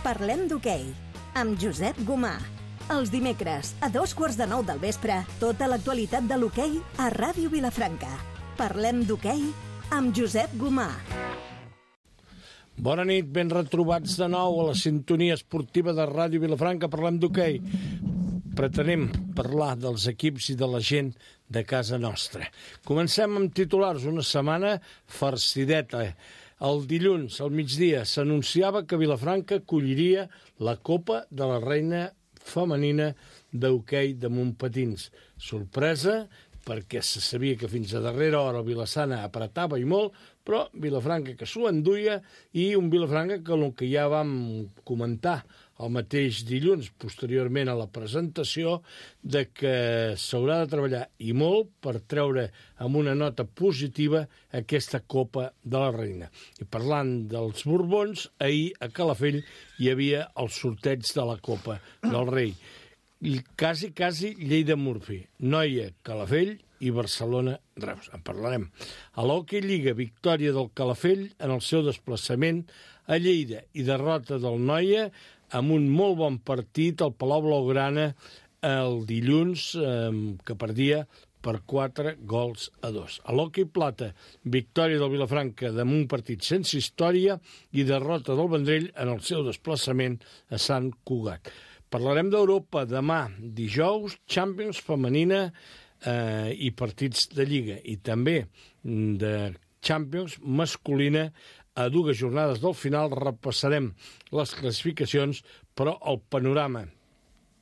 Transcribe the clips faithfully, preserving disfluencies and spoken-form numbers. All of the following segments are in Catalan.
Parlem d'hoquei, amb Josep Gomà. Els dimecres, a dos quarts de nou del vespre, tota l'actualitat de l'hoquei a Ràdio Vilafranca. Parlem d'hoquei amb Josep Gomà. Bona nit, ben retrobats de nou a la sintonia esportiva de Ràdio Vilafranca. Parlem d'hoquei. Pretenem parlar dels equips i de la gent de casa nostra. Comencem amb titulars. Una setmana farcideta. El dilluns, al migdia, s'anunciava que Vilafranca acolliria la Copa de la Reina Femenina d'hoquei de Montpatins. Sorpresa, perquè se sabia que fins a darrera hora el Vilassana apretava i molt, però Vilafranca que s'ho enduia, i un Vilafranca que el que ja vam comentar el mateix dilluns, posteriorment a la presentació, de que s'haurà de treballar i molt per treure amb una nota positiva aquesta Copa de la Reina. I parlant dels Borbons, ahir a Calafell hi havia el sorteig de la Copa del Rei. I quasi, quasi Lleida-Murphy, Noia, Calafell i Barcelona-Reus. En parlarem. A l'Hockey Lliga, victòria del Calafell en el seu desplaçament a Lleida i derrota del Noia amb un molt bon partit al Palau Blaugrana el dilluns, eh, que perdia per quatre gols a dos. A l'Hockey Plata, victòria del Vilafranca amb un partit sense història i derrota del Vendrell en el seu desplaçament a Sant Cugat. Parlarem d'Europa demà, dijous, Champions femenina eh, i partits de Lliga, i també de Champions masculina. A dues jornades del final repassarem les classificacions, però el panorama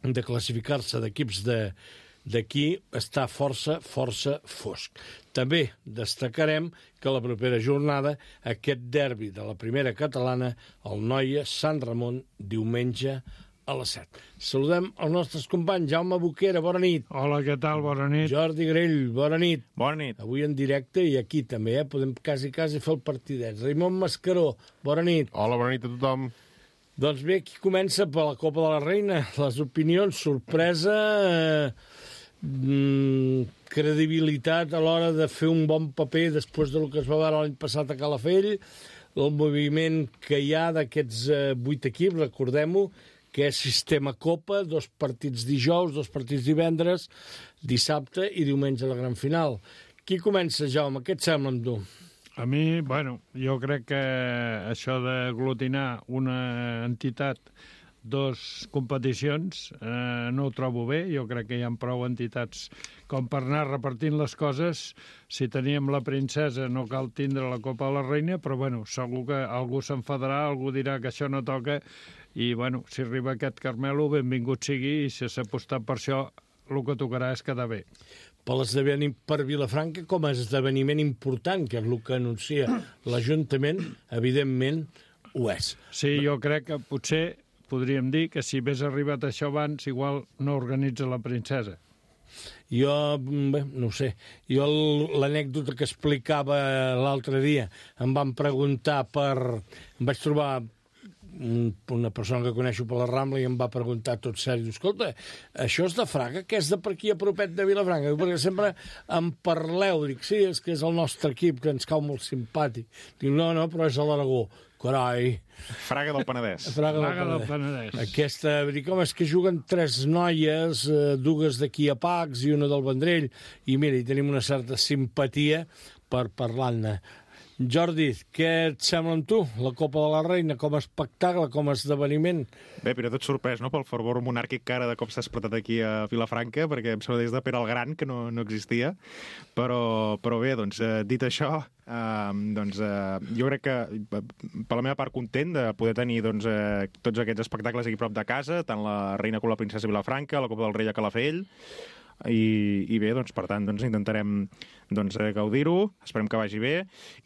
de classificar-se d'equips d'aquí està força, força fosc. També destacarem que la propera jornada, aquest derbi de la primera catalana, el Noia-Sant Ramon, diumenge a les set. Saludem els nostres companys. Jaume Boquera, bona nit. Hola, què tal? Bona nit. Jordi Grell, bona nit. Bona nit. Avui en directe i aquí també, eh? Podem quasi, quasi fer el partidet. Raimon Mascaró, bona nit. Hola, bona nit a tothom. Doncs bé, aquí comença per la Copa de la Reina. Les opinions, sorpresa, eh, credibilitat a l'hora de fer un bon paper després del que es va veure l'any passat a Calafell, el moviment que hi ha d'aquests eh, vuit equips, recordem-ho, que és sistema Copa, dos partits dijous, dos partits divendres, dissabte i diumenge la gran final. Qui comença, Jaume? Què et sembla amb tu? A mi, bueno, jo crec que això d'aglutinar una entitat, dos competicions, eh, no ho trobo bé. Jo crec que hi ha prou entitats com per anar repartint les coses. Si teníem la princesa no cal tindre la Copa de la Reina, però bueno, segur que algú s'enfadarà, algú dirà que això no toca, i bueno, si arriba aquest Carmelo, benvingut sigui, i si s'ha apostat per això, el que tocarà és quedar bé. Per l'esdeveniment per Vilafranca com a esdeveniment important, que és el que anuncia l'Ajuntament, evidentment ho és. Sí, jo crec que potser podríem dir que si hagués arribat això abans, igual no organitza la princesa. Jo, bé, no ho sé, jo l'anècdota que explicava l'altre dia, em van preguntar per... Em vaig trobar una persona que coneixo per la Rambla i em va preguntar tot seri, escolta, això és de Fraga, que és de per aquí a propet de Vilafranca? Perquè sempre em parleu, dic, sí, és que és el nostre equip, que ens cau molt simpàtic. Dic, no, no, però és a l'Aragó. Carai. Fraga del Penedès. Fraga, Fraga del del Penedès. Aquesta, dic, home, és que juguen tres noies, eh, dues d'aquí a Pacs i una del Vendrell, i mira, hi tenim una certa simpatia per parlar-ne. Jordi, què et sembla amb tu? La Copa de la Reina com a espectacle, com a esdeveniment? Bé, però tot sorprès, no?, pel fervor monàrquic que ara de cop s'ha despertat aquí a Vilafranca, perquè em sembla des de Pere el Gran, que no, no existia. Però, però bé, doncs, eh, dit això, eh, doncs, eh, jo crec que, per la meva part, content de poder tenir doncs, eh, tots aquests espectacles aquí prop de casa, tant la Reina com la Princesa Vilafranca, la Copa del Rei a Calafell, i, i bé, doncs, per tant, doncs, intentarem doncs, gaudir-ho, esperem que vagi bé,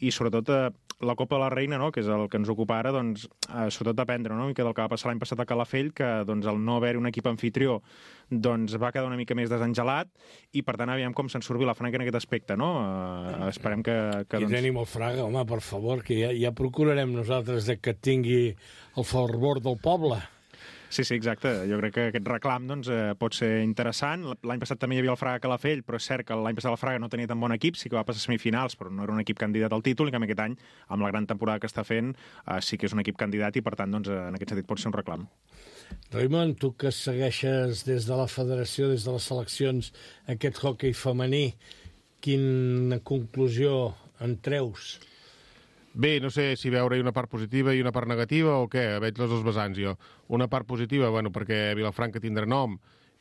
i sobretot eh, la Copa de la Reina, no?, que és el que ens ocupa ara, doncs, eh, sobretot aprendre, no?, que del que va passar l'any passat a Calafell, que doncs, el no haver-hi un equip anfitrió doncs, va quedar una mica més desengelat, i per tant aviam com se'n surt Vilafranca en aquest aspecte, no? Eh, esperem que... que I doncs... tenim el Fraga, home, per favor, que ja, ja procurarem nosaltres de que tingui el fervor del poble. Sí, sí, exacte. Jo crec que aquest reclam doncs, eh, pot ser interessant. L'any passat també hi havia el Fraga Calafell, però és cert que l'any passat el Fraga no tenia tan bon equip, sí que va passar a semifinals, però no era un equip candidat al títol, i que aquest any, amb la gran temporada que està fent, eh, sí que és un equip candidat i, per tant, doncs, en aquest sentit pot ser un reclam. Raimon, tu que segueixes des de la federació, des de les seleccions, aquest hoquei femení, quina conclusió en treus? Bé, no sé si veure-hi una part positiva i una part negativa o què, veig les dos vessants jo. Una part positiva, bueno, perquè Vilafranca tindrà nom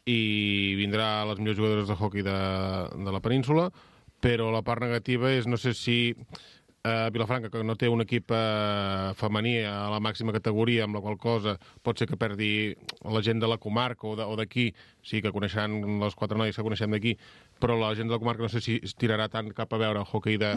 i vindrà les millors jugadores de hoquei de, de la península, però la part negativa és, no sé si eh, Vilafranca, que no té un equip eh, femení a la màxima categoria, amb la qual cosa pot ser que perdi la gent de la comarca o d'aquí, sí que coneixeran les quatre noies que coneixem d'aquí, però la gent de la comarca no sé si es tirarà tant cap a veure el hoquei de,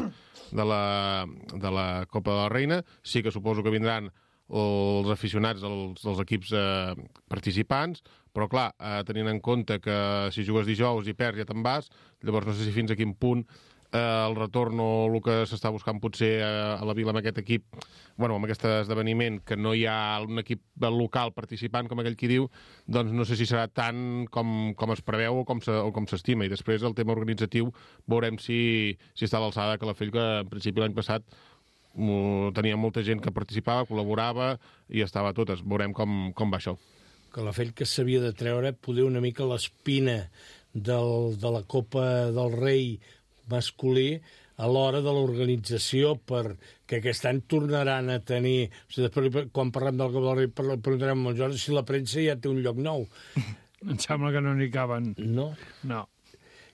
de, la, de la Copa de la Reina. Sí que suposo que vindran els aficionats dels, dels equips eh, participants, però clar, eh, tenint en compte que si jugues dijous i perds ja te'n vas, llavors no sé si fins a quin punt eh, el retorn o el que s'està buscant potser a, a la vila amb aquest equip, bueno, amb aquest esdeveniment, que no hi ha un equip local participant, com aquell qui diu, doncs no sé si serà tant com, com es preveu o com, se, o com s'estima. I després el tema organitzatiu veurem si, si està a l'alçada que la Fell, que en principi l'any passat tenia molta gent que participava, col·laborava i estava a totes. Veurem com, com va això. Calafell, que s'havia de treure poder una mica l'espina del, de la Copa del Rei masculí a l'hora de l'organització, perquè aquest any tornaran a tenir... O sigui, després, quan parlem del Copa del Rei, preguntarem al Jordi si la premsa ja té un lloc nou. Em sembla que no n'hi caben. No? No.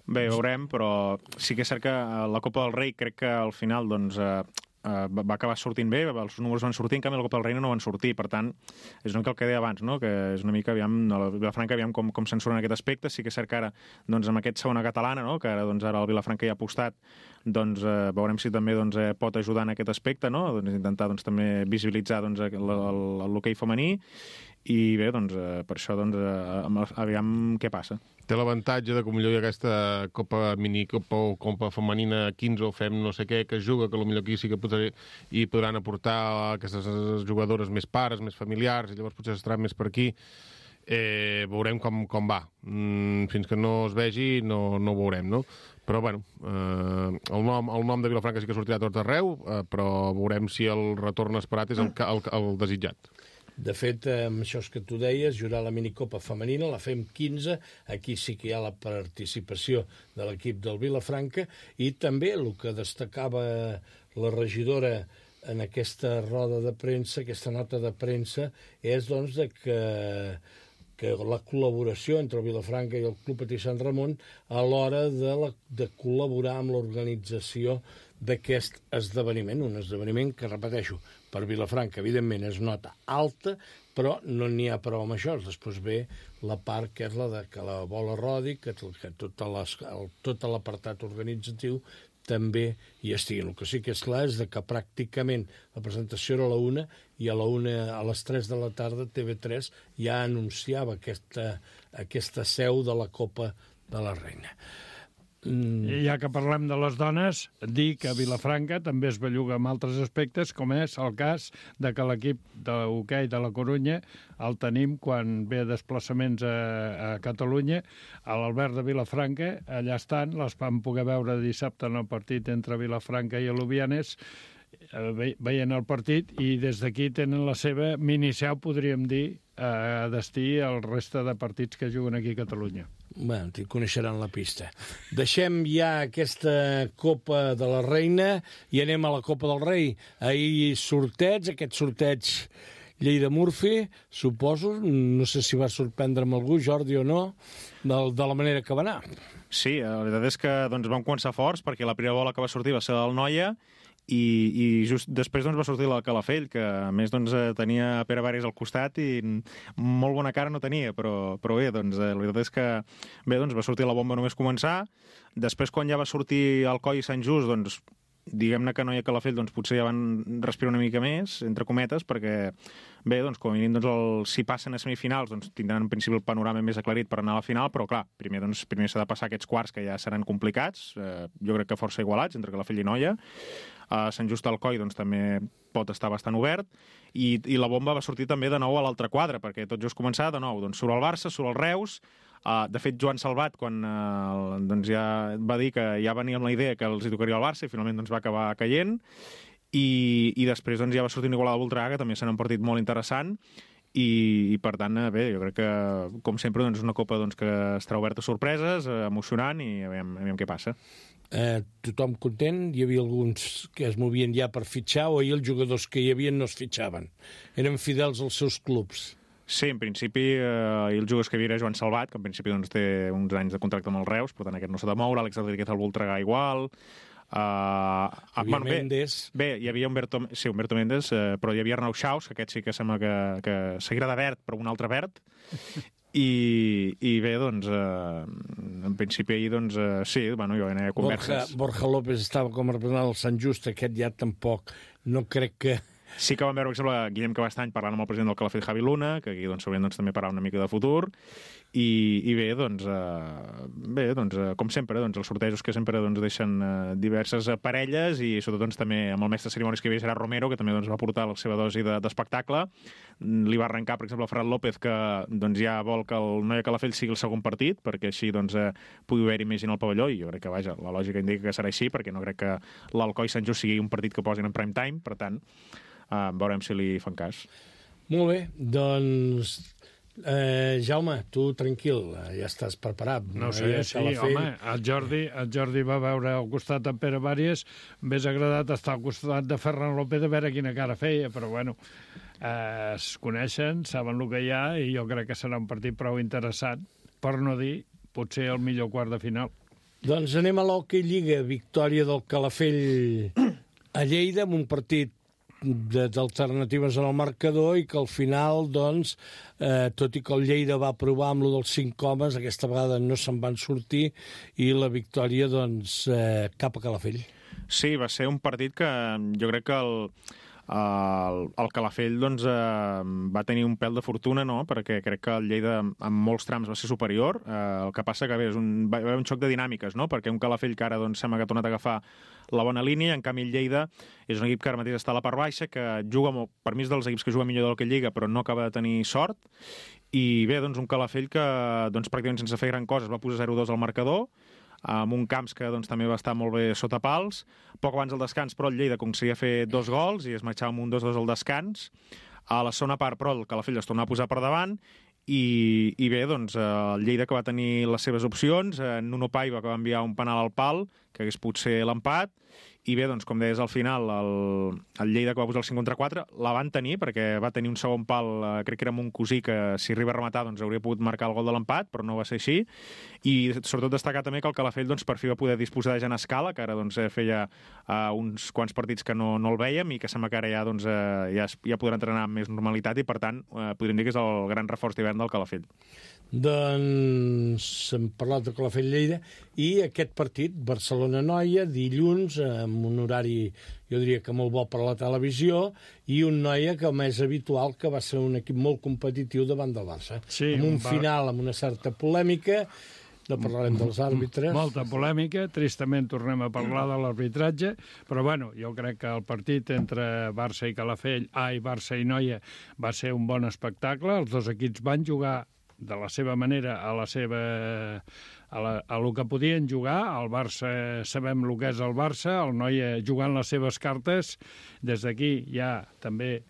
Bé, veurem, però sí que és cert que la Copa del Rei crec que al final doncs, eh, Uh, va acabar sortint bé, els números van sortir, en canvi la Copa del Reina no van sortir, per tant és una mica el que deia abans, no? Que és una mica aviam, a la Vilafranca aviam com, com censuren aquest aspecte. Sí que és cert que ara, doncs, amb aquest segona catalana, no? Que ara, doncs, ara el Vilafranca hi ha apostat, doncs uh, veurem si també doncs, eh, pot ajudar en aquest aspecte, no? Doncs, intentar doncs, també visibilitzar doncs, l'hoquei femení, i bé, doncs, eh, per això doncs, eh, aviam què passa. Té l'avantatge de que potser hi ha aquesta Copa Minicopa o Copa Femenina quinze o fem no sé què que es juga, que potser aquí sí que podré, i podran aportar aquestes jugadores més pares, més familiars, i llavors potser estaran més per aquí. Eh, veurem com, com va. Mm, fins que no es vegi no, no ho veurem, no? Però, bueno, eh, el, nom, el nom de Vilafranca sí que sortirà a tot arreu, eh, però veurem si el retorn esperat és el, el, el desitjat. De fet, amb això que tu deies, jurar la minicopa femenina, la fem quinze, aquí sí que hi ha la participació de l'equip del Vilafranca, i també el que destacava la regidora en aquesta roda de premsa, aquesta nota de premsa, és doncs de que, que la col·laboració entre el Vilafranca i el Club Patí Sant Ramon a l'hora de, la, de col·laborar amb l'organització d'aquest esdeveniment, un esdeveniment que, repeteixo, per Vilafranca, evidentment, és nota alta, però no n'hi ha prou amb això. Després ve la part que és la de que la bola rodi, que, que tot, les, el, tot l'apartat organitzatiu també hi estigui. El que sí que és clar és que pràcticament la presentació era a la una i a la una, a les tres de la tarda, T V tres ja anunciava aquesta, aquesta seu de la Copa de la Reina. I ja que parlem de les dones, dir que a Vilafranca també es belluga amb altres aspectes, com és el cas de que l'equip d'hoquei de la Corunya el tenim quan ve desplaçaments a, a Catalunya, a l'Albert de Vilafranca, allà estan, les vam poder veure dissabte en el partit entre Vilafranca i Alubianes, veient el partit, i des d'aquí tenen la seva miniseu, podríem dir, a destí al resta de partits que juguen aquí a Catalunya. Bé, t'hi coneixeran la pista. Deixem ja aquesta Copa de la Reina i anem a la Copa del Rei. Ahir sorteig, aquest sorteig Lleida-Murphy, suposo, no sé si va sorprendre amb algú, Jordi, o no, de, de la manera que va anar. Sí, la veritat és que doncs, vam començar forts, perquè la primera bola que va sortir va ser del Noia, i, i just després doncs, va sortir la Calafell, que a més doncs, tenia Pere Vares al costat i molt bona cara no tenia, però, però bé, doncs, la veritat és que bé, doncs, va sortir la bomba només començar. Després, quan ja va sortir Alcoi i Sant Just, doncs, diguem-ne que Noia i Calafell doncs, potser ja van respirar una mica més, entre cometes, perquè bé, doncs, com a mínim, doncs, el, si passen a semifinals, doncs, tindran en principi el panorama més aclarit per anar a la final, però clar, primer doncs, primer s'ha de passar aquests quarts que ja seran complicats, eh, jo crec que força igualats entre Calafell i Noia. a Sant Just Alcoi doncs, també pot estar bastant obert, i, i la bomba va sortir també de nou a l'altre quadre, perquè tot just començar de nou, doncs surt el Barça, surt el Reus. Uh, de fet, Joan Salvat, quan uh, doncs ja va dir que ja venia amb la idea que els hi tocaria el Barça, i finalment doncs, va acabar caient, i, i després doncs, ja va sortir un Igualada Voltregà, que també serà un partit molt interessant, i, i per tant, bé, jo crec que, com sempre, doncs, és una copa doncs, que estarà oberta a sorpreses, eh, emocionant, i aviam, aviam què passa. Eh, tothom content? Hi havia alguns que es movien ja per fitxar, o ahir els jugadors que hi havia no es fitxaven? Eren fidels als seus clubs? Sí, en principi, eh, els jugadors que hi havia era Joan Salvat, que en principi doncs, té uns anys de contracte amb el Reus, per tant aquest no s'ha de moure, Àlex Rodríguez al Voltregà igual. Uh, hi havia bueno, Méndez. Bé, bé, hi havia Humberto, sí, Humberto Méndez, eh, però hi havia Arnau Xaus, que aquest sí que sembla que, que seguirà de verd, però un altre verd. I, i bé, doncs, eh, en principi ahir, doncs, eh, sí, bueno, jo anava a converses. Borja, Borja López estava com a representant del Sant Just, aquest ja tampoc. No crec que... Sí que vam veure, per exemple, Guillem Cabastany parlant amb el president del Calafell, Javi Luna, que aquí doncs, s'haurien doncs, també parlar una mica de futur, i, i bé, doncs, eh, bé, doncs, eh, com sempre, doncs, els sortejos que sempre doncs, deixen eh, diverses parelles, i sobretot doncs, també amb el mestre de cerimònies que hi havia serà Romero, que també doncs, va portar la seva dosi d'espectacle. De, Li va arrencar, per exemple, a Ferran López, que doncs, ja vol que el Noia Calafell sigui el segon partit, perquè així doncs, eh, pugui haver-hi més gent al pavelló, i jo crec que, vaja, la lògica indica que serà així, perquè no crec que l'Alcoi Sant Just sigui un partit que posin en prime time, per tant, Uh, veurem si li fan cas. Molt bé, doncs... Eh, Jaume, tu tranquil, ja estàs preparat. No sé, ja sí, home, el Jordi, el Jordi va veure al costat de Pere Bàries, m'hagués agradat estar al costat de Ferran López a veure quina cara feia, però bueno, eh, es coneixen, saben el que hi ha, i jo crec que serà un partit prou interessant, per no dir, potser el millor quart de final. Doncs anem a l'Hockey Lliga, victòria del Calafell a Lleida, amb un partit d'alternatives en el marcador, i que al final, doncs, eh, tot i que el Lleida va provar amb lo dels cinc homes, aquesta vegada no se'n van sortir, i la victòria, doncs, eh, cap a Calafell. Sí, va ser un partit que jo crec que el, el, el Calafell doncs, eh, va tenir un pèl de fortuna, no? Perquè crec que el Lleida en molts trams va ser superior. Eh, el que passa que bé, és un, va haver un xoc de dinàmiques, no? Perquè un Calafell que ara doncs, sembla que ha tornat a agafar la bona línia, en canvi el Lleida és un equip que ara mateix està a la part baixa, que juga, molt, per mi és dels equips que juga millor del que Lliga, però no acaba de tenir sort, i bé, doncs un Calafell que doncs, pràcticament sense fer gran cosa es va posar zero dos al marcador, amb un Camps que doncs, també va estar molt bé sota pals. Poc abans del descans, però el Lleida aconseguia fer dos gols i es marxava amb un dos dos al descans. A la segona part, però, el Calafell es tornava a posar per davant, i, i bé, doncs, el Lleida que va tenir les seves opcions, Nuno Paiva que va enviar un penal al pal, que hagués pogut ser l'empat, i bé, doncs, com deies al final, el, el Lleida que va posar el cinc contra quatre, la van tenir, perquè va tenir un segon pal, eh, crec que era amb un cosí, que si arriba a rematar doncs, hauria pogut marcar el gol de l'empat, però no va ser així, i sobretot destacar també que el Calafell doncs, per fi va poder disposar de Jan Escala, que ara doncs, feia uh, uns quants partits que no, no el vèiem, i que sembla que ara ja, doncs, uh, ja, ja podrà entrenar amb més normalitat, i per tant uh, podríem dir que és el gran reforç d'hivern del Calafell. Doncs hem parlat de Calafell-Lleida, i aquest partit, Barcelona-Noia, dilluns, amb un horari, jo diria que molt bo per a la televisió, i un Noia que més habitual, que va ser un equip molt competitiu davant del Barça. Sí, amb un va... final amb una certa polèmica, no parlarem dels àrbitres. Molta polèmica, tristament tornem a parlar de l'arbitratge, però bueno, jo crec que el partit entre Barça i Calafell, ai, Barça i Noia, va ser un bon espectacle, els dos equips van jugar de la seva manera, a la seva... a, la, a lo que podien jugar. El Barça, sabem el que és el Barça, el Noia jugant les seves cartes. Des d'aquí hi ha també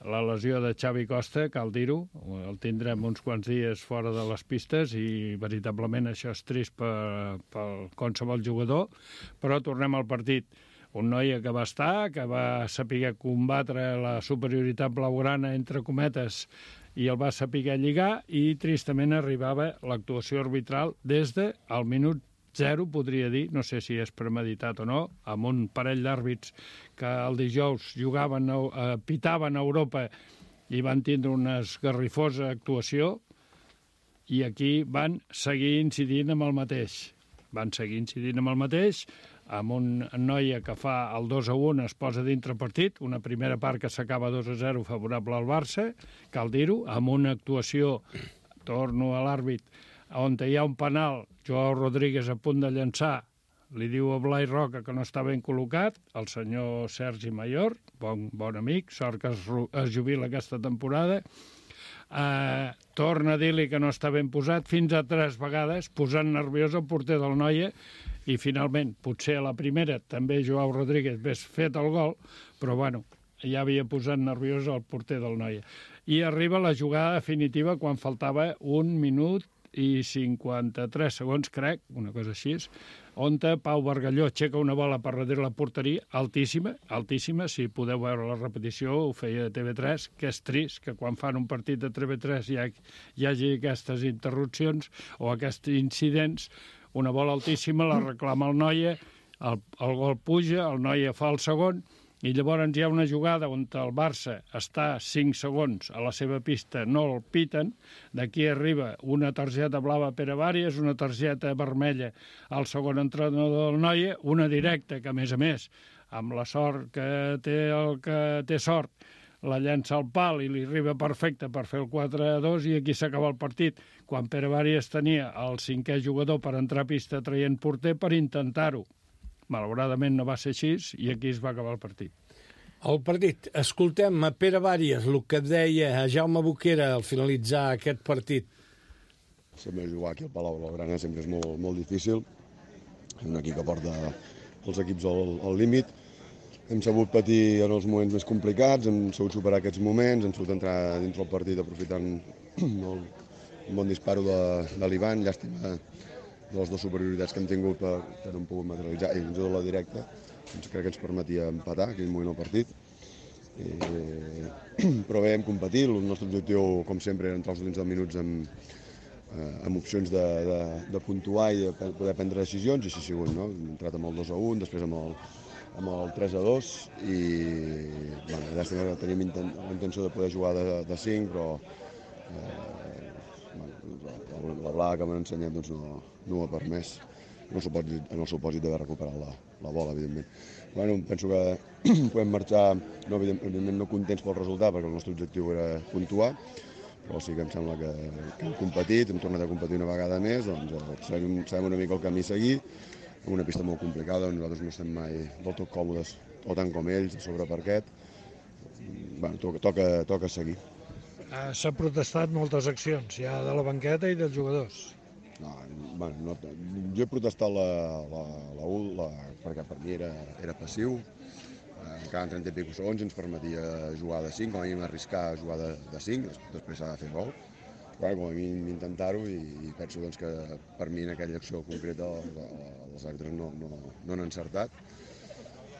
la lesió de Xavi Costa, cal dir-ho, el tindrem uns quants dies fora de les pistes, i veritablement això és trist per, per qualsevol jugador, però tornem al partit. Un Noia que va estar, que va saber combatre la superioritat blaugrana, entre cometes, i el va saber lligar, i tristament arribava l'actuació arbitral des del minut zero, podria dir, no sé si és premeditat o no, amb un parell d'àrbits que el dijous jugaven, eh, pitaven a Europa i van tindre una esgarrifosa actuació, i aquí van seguir incidint amb el mateix. Van seguir incidint amb el mateix, amb un Noia que fa el dos a un, es posa dintre partit, una primera part que s'acaba dos a zero favorable al Barça, cal dir-ho, amb una actuació, torno a l'àrbit, on hi ha un penal, Joao Rodríguez a punt de llançar, li diu a Blai Roca que no està ben col·locat, el senyor Sergi Mayor, bon, bon amic, sort que es, es jubila aquesta temporada, eh, torna a dir-li que no està ben posat fins a tres vegades, posant nerviós el porter del Noia, i finalment, potser a la primera també Joao Rodríguez hagués fet el gol, però bueno, ja havia posat nerviós el porter del Noia. I arriba la jugada definitiva quan faltava un minut i cinquanta-tres segons, crec, una cosa així, on Pau Bargalló aixeca una bola per darrere la porteria, altíssima, altíssima, si podeu veure la repetició, ho feia de T V tres, que és trist que quan fan un partit de T V tres hi, ha, hi hagi aquestes interrupcions o aquests incidents, una bola altíssima, la reclama el Noia, el, el gol puja, el Noia fa el segon, i llavors hi ha una jugada on el Barça està cinc segons a la seva pista, no el piten, d'aquí arriba una targeta blava a Pere Vàries, una targeta vermella al segon entrenador del Noia, una directa que, a més a més, amb la sort que té el que té sort, la llença al pal i li arriba perfecte per fer el quatre a dos i aquí s'acaba el partit, quan Pere Vàries tenia el cinquè jugador per entrar a pista traient porter per intentar-ho. Malauradament no va ser així i aquí es va acabar el partit. El partit. Escoltem a Pere Vàries, el que deia a Jaume Boquera al finalitzar aquest partit. Sempre jugar aquí al Palau Blaugrana sempre és molt, molt difícil. És un equip que porta els equips al, al límit. Hem sabut patir en els moments més complicats, hem sabut superar aquests moments, hem sabut entrar dintre el partit aprofitant el, un bon disparo de, de l'Ivan, llàstima de les dues superioritats que hem tingut per, que no hem pogut materialitzar, i fins i tot la directa, doncs crec que ens permetia empatar aquell moment al partit. I, però bé, hem competit, el nostre objectiu, com sempre, era entrar els últims deu minuts amb, eh, amb opcions de, de, de puntuar i de poder prendre decisions, i així ha sigut, no? Hem entrat amb el dos a un, després amb el, amb el tres a dos, i bueno, llàstima que teníem intent, la intenció de poder jugar de, de cinc, però eh, bueno, la Bla que m'han ensenyat doncs, no, no ho ha permès, en el supòsit, en el supòsit d'haver recuperat la, la bola, evidentment. Bueno, penso que podem marxar, no, evidentment no contents pel resultat, perquè el nostre objectiu era puntuar, però sí que em sembla que, que hem competit, hem tornat a competir una vegada més, doncs eh, sabem, sabem una mica el camí a seguir, en una pista molt complicada, on nosaltres no estem mai del tot còmodes, o tant com ells, a sobre parquet. Bueno, toca, toca, toca seguir. S'ha protestat moltes accions, ja de la banqueta i dels jugadors. No, bueno, no, jo he protestat la, la, la U, la, perquè per mi era, era passiu. Eh, cada trenta i pico segons ens permetia jugar de cinc, com a mínim arriscar a jugar de, de cinc, després s'ha de fer gol. Bueno, com a mínim intentar-ho, i, i penso doncs, que per mi en aquella acció concreta els àrbitres no, no, no han encertat.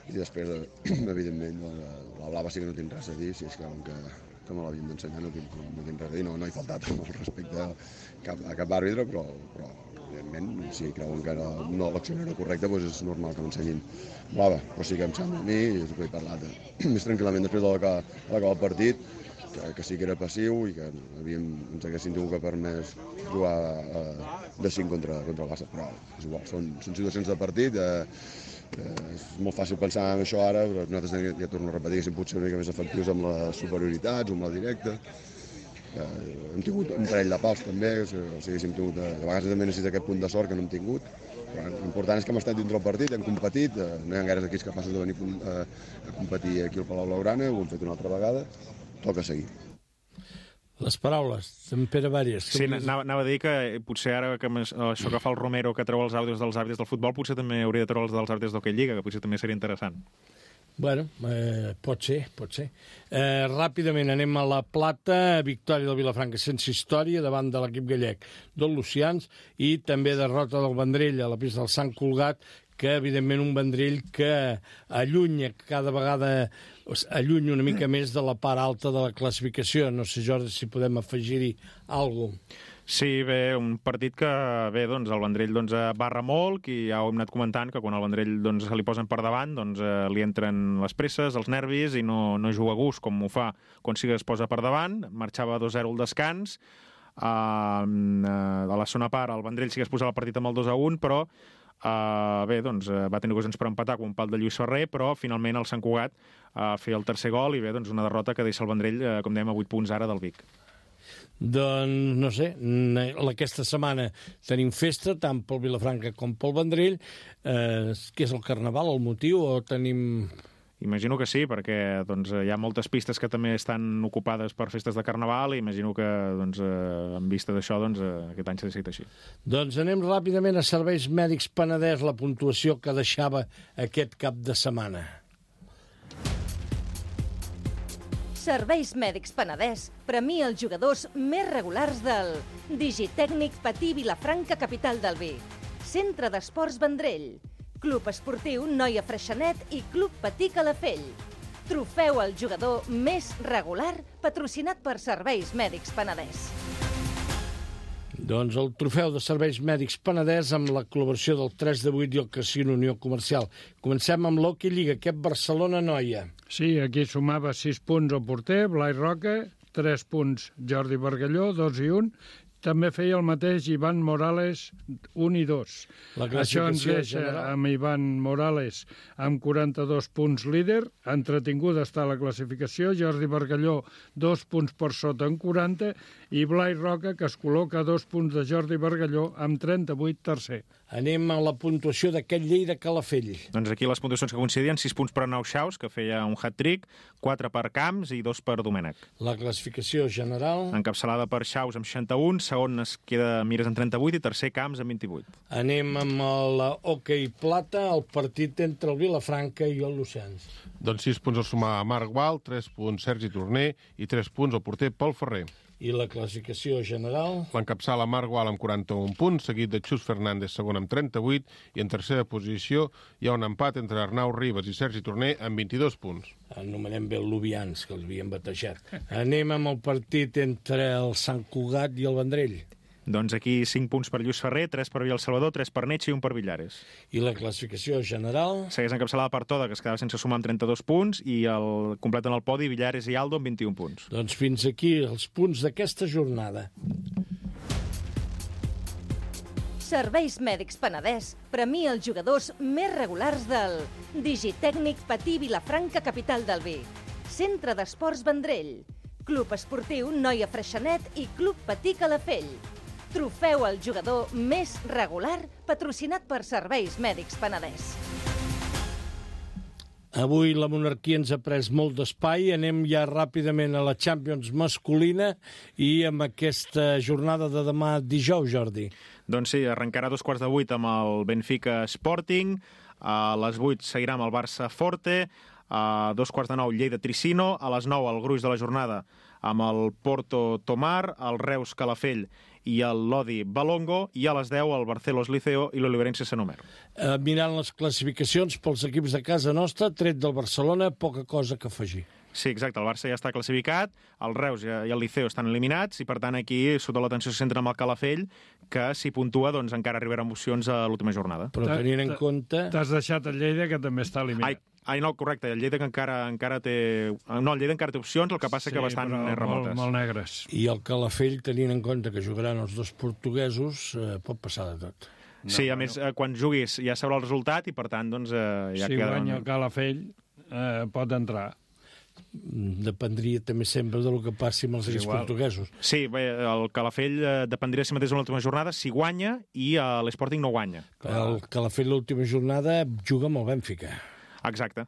I després, evidentment, la, la blava sí que no tinc res a dir, si és que, que, que me l'havien d'ensenyar no tinc, no tinc res a dir, no, no he faltat amb el respecte a cap, a cap àrbitre, però, però evidentment, si creuen que no, no, l'acció no era correcta, doncs és normal que m'ensenyin blava, però sí que em sembla a mi, i és el que he parlat més tranquil·lament després de l'acabar el partit, que, que sí que era passiu i que havíem, ens haguessin tingut que permès jugar eh, de cinc contra, contra el Barça, però és igual, són, són situacions de partit, eh, Eh, és molt fàcil pensar en això ara, però nosaltres ja torno a repetir que potser una mica més efectius amb les superioritats o amb la directa. Eh, hem tingut un parell de pals també, o sigui, hem tingut, a vegades també necessita aquest punt de sort que no hem tingut. Però l'important és que hem estat dintre el partit, hem competit, eh, no hi ha gaires equips capaços de venir a, a competir aquí al Palau Blaugrana, ho hem fet una altra vegada, toca seguir. Les paraules d'en Pere Vàries. Sí, anava, anava a dir que potser ara que això que fa el Romero, que treu els àudios dels àrbitres del futbol, potser també hauria de treure els dels àrbitres d'Hockey Lliga, que potser també seria interessant. Bueno, eh, pot ser, pot ser. Eh, ràpidament anem a la Plata, victòria del Vilafranca sense història davant de l'equip gallec del Lucians, i també derrota del Vendrell a la pista del Sant Cugat, que evidentment un Vendrell que allunya cada vegada allunya una mica més de la part alta de la classificació. No sé, Jordi, si podem afegir-hi alguna cosa. Sí, bé, un partit que, bé, doncs, el Vendrell doncs, barra molt, i ja ho hem anat comentant, que quan el Vendrell doncs, se li posen per davant, doncs, eh, li entren les presses, els nervis, i no, no juga a gust, com ho fa quan sí que es posa per davant. Marxava dos a zero al descans. Uh, a la segona part, el Vendrell sí que es posava el partit amb el dos a un, però Uh, bé, doncs, uh, va tenir ocasions per empatar com un pal de Lluís Ferrer, però finalment el Sant Cugat uh, feia el tercer gol, i bé, doncs una derrota que deixa el Vendrell, uh, com dèiem, a vuit punts ara del Vic. Doncs, no sé, aquesta setmana tenim festa, tant pel Vilafranca com pel Vendrell. Eh, què és el Carnaval, el motiu, o tenim... Imagino que sí, perquè doncs, hi ha moltes pistes que també estan ocupades per festes de Carnaval i imagino que, doncs, eh, en vista d'això, doncs, eh, aquest any s'ha decidit així. Doncs anem ràpidament a Serveis Mèdics Penedès, la puntuació que deixava aquest cap de setmana. Serveis Mèdics Penedès premia els jugadors més regulars del Digitècnic Patí Vilafranca, capital del vi, Centre d'Esports Vendrell, Club Esportiu Noia Freixenet i Club Patí Calafell. Trofeu al jugador més regular patrocinat per Serveis Mèdics Penedès. Doncs el trofeu de Serveis Mèdics Penedès amb la col·laboració del tres de vuit i el Casino Unió Comercial. Comencem amb l'Hockey Lliga, aquest Barcelona-Noia. Sí, aquí sumava sis punts el porter, Blai Roca, tres punts Jordi Bargalló, dos i un. També feia el mateix Ivan Morales, un i dos. Això ens deixa general. Amb Ivan Morales amb quaranta-dos punts líder. Entretinguda està la classificació. Jordi Bargalló, dos punts per sota en quaranta. I Blai Roca, que es col·loca a dos punts de Jordi Bargalló amb trenta-vuit tercer. Anem a la puntuació d'aquest Lleida Calafell. Doncs aquí les puntuacions que coincidien, sis punts per Arnau Xaus, que feia un hat-trick, quatre per Camps i dos per Domènech. La classificació general... Encapçalada per Xaus amb seixanta-un, segon es queda Mires amb trenta-vuit i tercer Camps amb vint-i-vuit. Anem amb l'Hockey Plata, el partit entre el Vilafranca i el Lucens. Doncs sis punts a sumar a Marc Gual, tres punts Sergi Torner i tres punts al porter Pol Ferrer. I la classificació general... L'encapçala Marc Gual amb quaranta-un punts, seguit de Xus Fernández, segon amb trenta-vuit, i en tercera posició hi ha un empat entre Arnau Ribas i Sergi Torner amb vint-i-dos punts. Anomenem bé el Lubians, que l'havien batejat. Anem amb el partit entre el Sant Cugat i el Vendrell. Doncs aquí cinc punts per Lluís Ferrer, tres per Villa El Salvador, tres per Netx i un per Villares. I la classificació general... Segueix encapçalada per Toda, que es quedava sense sumar amb trenta-dos punts, i el completen el podi Villares i Aldo amb vint-i-un punts. Doncs fins aquí els punts d'aquesta jornada. Serveis Mèdics Penedès premia els jugadors més regulars del Digitècnic Patí Vilafranca, capital del vi, Centre d'Esports Vendrell, Club Esportiu Noia Freixenet i Club Patí Calafell. Trofeu al jugador més regular patrocinat per Serveis Mèdics Penedès. Avui la monarquia ens ha pres molt d'espai. Anem ja ràpidament a la Champions masculina i amb aquesta jornada de demà dijous, Jordi. Doncs sí, arrencarà a dos quarts de vuit amb el Benfica Sporting, a les vuit seguirà amb el Barça Forte, a dos quarts de nou Lleida Tricino, a les nou el gruix de la jornada amb el Porto Tomar, el Reus Calafell i el Lodi Balongo, i a les deu el Barcelos Liceo i l'Oliverense Sant Omer. Eh, mirant les classificacions pels equips de casa nostra, tret del Barcelona, poca cosa que afegir. Sí, exacte, el Barça ja està classificat, el Reus i el Liceo estan eliminats, i per tant aquí sota l'atenció se centra amb el Calafell, que si puntua doncs encara arribarà amb opcions a l'última jornada. Però tenint en compte... T'has deixat el Lleida, que també està eliminat. Ai, ai no, correcte, el Lleida que encara, encara té... No, el Lleida encara té opcions, el que passa sí, que bastant remotes. Molt, molt negres. I el Calafell, tenint en compte que jugaran els dos portuguesos, eh, pot passar de tot. No, sí, a no. més, eh, quan juguis ja sabrà el resultat i per tant, doncs, eh, ja si queda... Si guanya el Calafell, eh, pot entrar. Dependria també sempre del que passi amb els equips portuguesos. Sí, bé, el Calafell eh, dependria si mateix en l'última jornada si guanya i eh, l'Sporting no guanya. El Calafell l'última jornada juga amb el Benfica. Exacte.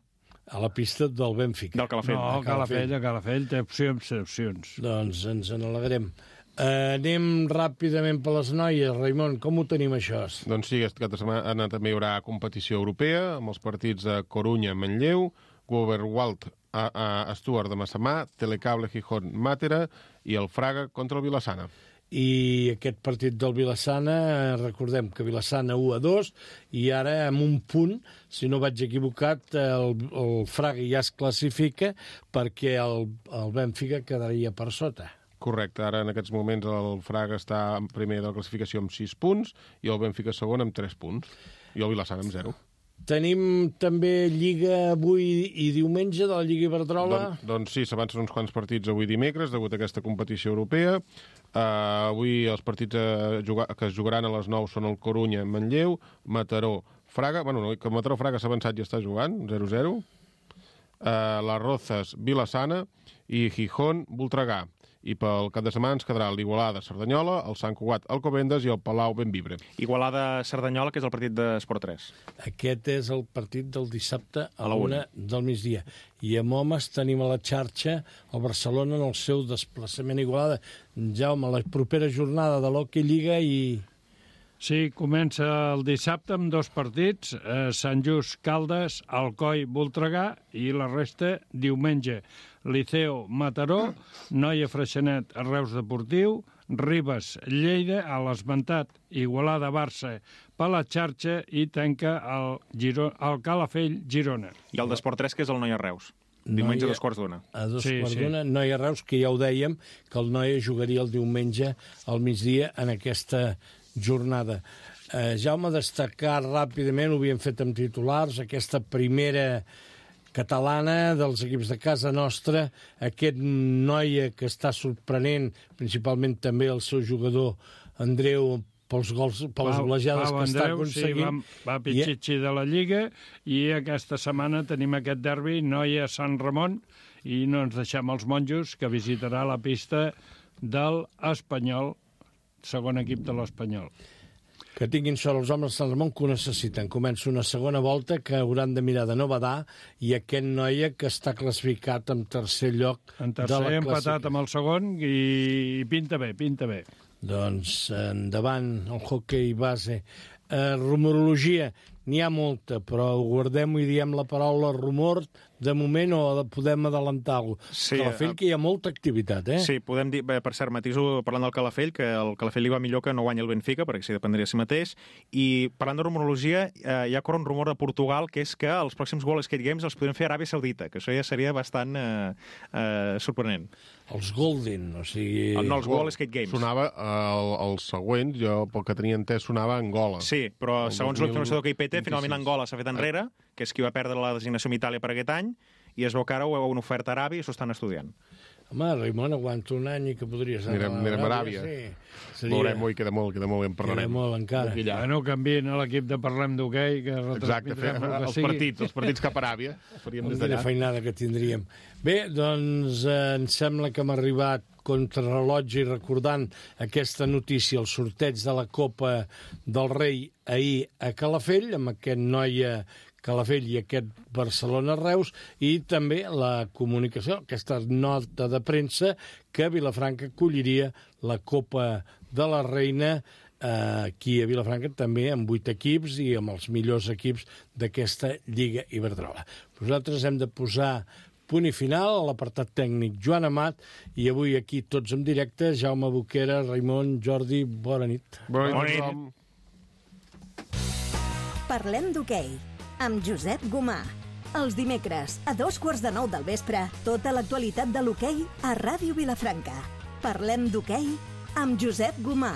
A la pista del Benfica. Del Calafell. No, el Calafell, el Calafell té opcions, té opcions. Doncs ens en alegrem. Uh, anem ràpidament per les noies. Raimon, com ho tenim, això? Doncs sí, aquest cap de setmana també hi haurà competició europea amb els partits de Corunya, Manlleu, Goverwald, a, a Stuart de Massamà, Telecable, Gijón, Màtera i el Fraga contra el Vilassana. I aquest partit del Vilassana, recordem que Vilassana u a dos, i ara amb un punt, si no vaig equivocat, el, el Fraga ja es classifica perquè el, el Benfica quedaria per sota. Correcte, ara en aquests moments el Fraga està en primer de la classificació amb sis punts i el Benfica segon amb tres punts i el Vilassana amb zero. Tenim també Lliga avui i diumenge de la Lliga Iberdrola. Don, doncs sí, s'avancen uns quants partits avui dimecres degut a aquesta competició europea. Uh, avui els partits uh, jugar, que es jugaran a les nou són el Corunya, Manlleu, Mataró, Fraga. Bueno, no, que Mataró Fraga s'ha avançat i està jugant, zero zero. Uh, les Rozas, Vilassana i Gijón, Voltregà. I pel cap de setmana ens quedarà l'Igualada-Cerdanyola, el Sant Cugat Alcobendas i el Palau-Benvibre. Igualada-Cerdanyola, que és el partit d'Esport tres. Aquest és el partit del dissabte a la una del migdia. I amb homes tenim a la xarxa el Barcelona en el seu desplaçament a Igualada. Jaume, la propera jornada de l'Hockey Lliga i... Sí, comença el dissabte amb dos partits, eh, Sant Just Caldes, Alcoi Voltregà, i la resta diumenge. Liceo Mataró, Noia Freixenet Reus Deportiu, Ribes Lleida, a l'esmentat Igualada Barça per la xarxa i tanca el, Giro, el Calafell Girona. I el d'Esport tres, que és el Noia Reus. Diumenge a dos quarts d'una. A dos Sí, quarts sí. d'una. Noia Reus, que ja ho dèiem, que el Noia jugaria el diumenge al migdia en aquesta jornada. Eh, Jaume, destacar ràpidament, ho havíem fet amb titulars, aquesta primera catalana dels equips de casa nostra, aquest Noia que està sorprenent, principalment també el seu jugador Andreu, pels gols, pels golejades Pau que està Andreu, aconseguint. Sí, va, va pitxitxi de la Lliga, i aquesta setmana tenim aquest derbi Noia-Sant Ramon, i no ens deixem els monjos, que visitarà la pista del Espanyol, segon equip de l'Espanyol. Que tinguin sort els homes de Sant Ramon, que ho necessiten. Comença una segona volta que hauran de mirar de no badar, i aquest Noia que està classificat en tercer lloc En de tercer la empatat classificació. amb el segon, i pinta bé, pinta bé. Doncs endavant el hoquei base. Eh, rumorologia, n'hi ha molta, però guardem-ho i diem la paraula rumor de moment, o podem adelantar-lo. Sí, Calafell, eh, que hi ha molta activitat, eh? Sí, podem dir, bé, per cert, matiso parlant del Calafell, que el Calafell li va millor que no guanya el Benfica, perquè s'hi dependria de si mateix, i parlant de rumorologia, eh, hi ha corre un rumor de Portugal, que és que els pròxims World Skate Games els podrien fer a Aràbia Saudita, que això ja seria bastant eh, eh, sorprenent. Els Golden, o sigui... No, els World Skate Games. Sonava, el, el següent, jo pel que tenia entès, sonava Angola. Sí, però El segons dos mil l'informació que I P T, vint-i-sis. finalment Angola s'ha fet enrere, que és qui va perdre la designació amb Itàlia per aquest any, i es veu que ara ho heu una oferta a Aràbia i s'ho estan estudiant. Home, Raimon, aguanta un any i que podries anar Anirem, anirem a Aràbia. Sí. Seria... Veurem, ui, queda molt, queda molt, i en Queda parlarem. molt encara. Allà. Bueno, canvien a l'equip de Parlem d'Hoquei, que Exacte, fer, retransmetrem el que els sigui. partits, els partits cap a Aràbia, faríem des Quina d'allà. feinada que tindríem. Bé, doncs eh, em sembla que hem arribat contrarrellotge i recordant aquesta notícia, el sorteig de la Copa del Rei ahir a Calafell, amb aquest Noia Calafell i aquest Barcelona-Reus, i també la comunicació, aquesta nota de premsa, que Vilafranca acolliria la Copa de la Reina eh, aquí a Vilafranca, també amb vuit equips i amb els millors equips d'aquesta Lliga Iberdrola. Nosaltres hem de posar punt i final a l'apartat tècnic Joan Amat, i avui aquí tots en directe, Jaume Boquera, Raimon, Jordi, bona nit. Bona nit, Bona nit. tothom. Parlem d'hoquei, amb Josep Gomà. Els dimecres, a dos quarts de nou del vespre, tota l'actualitat de l'hoquei a Ràdio Vilafranca. Parlem d'hoquei amb Josep Gomà.